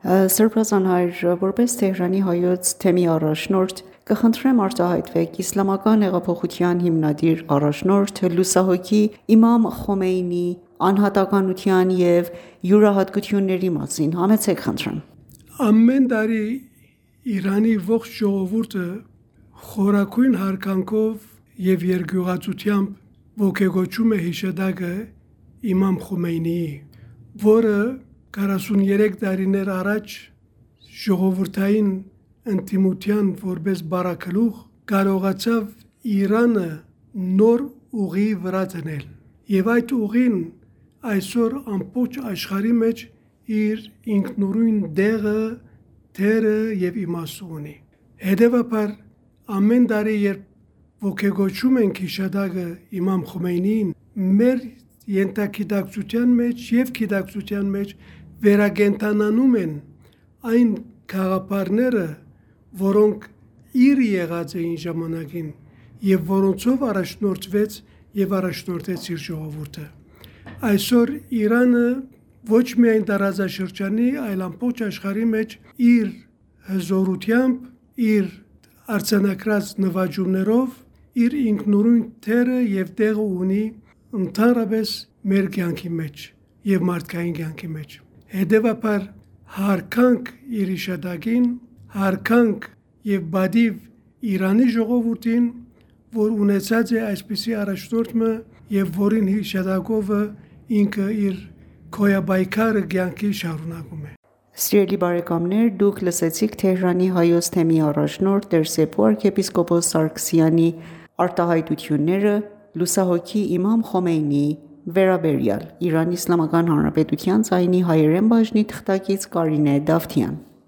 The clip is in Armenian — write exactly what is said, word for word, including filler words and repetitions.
Սրբազան հայր, որպես Թեհրանի հայոց թեմի առաջնորդ, կխնդրեմ արտահայտվեք իսլամական հեղափոխության հիմնադիր առաջնորդ լուսահոգի իմամ Խոմեյնիի անհատականության և յուրահատկությունների մասին, համեցեք խնդրեմ։ Ամեն տարի Իրանի ողջ ժողովուրդը խորագույն հարգանքով և երկյուղածությամբ ոգեգոճում է հիշատակը իմամ Խոմեյնիի, որը քառասուններեք տարիներ առաջ ժողովրդային ընդդիմության որպես բառագլուխ կարողացավ Իրանը նոր ուղի վրա դնել, և այդ ուղին այսօր ամբողջ աշխարհի մեջ իր ինքնուրույն տեղը, դերը և իմաստը ունի։ Հետևաբար ամեն տարի երբ ոգեգոճում ենք հիշատակը իմամ Խոմեյնիին, մեր ենթագիտակցության մեջ և գիտակցության մեջ վերակենդանանում են այն գաղափարները, որոնք իր եղած էին ժամանակին և որոնցով առաջնորդվեց և առաջնորդեց իր ժողովուրդը։ Այսօր Իրանը ոչ միայն տարածաշրջանի, այլ ամբողջ աշխարհի մեջ իր հզորությամբ, իր արձանագրած նվաճումներով իր ինքնուրույն դերը և տեղը ունի ընդհանրապես մեր կյանքի մեջ և մարդկային կյանքի մեջ։ Հետևաբար հարկանք իր հիշատակին, հարկանք և պատիվ Իրանի ժողովրդին, որ ունեցած է այսպիսի առաջնորդ և որին հիշատակով ինքը իր գոյապայքարը կյանքի շարունակում է։ Սիրելի բարեկամներ, դուք լսեցիք Թեհրանի հայոց թեմի առաջնորդ տեր Սեփու arczepiskopos Սարգսյանի արտահայտությունները լուսահոգի իմամ Խոմեյնիի վերաբերյալ։ Իրանի Իսլամական Հանրապետության ձայնի հայերեն բաժնի թղթակից Կարինե Դավթյան։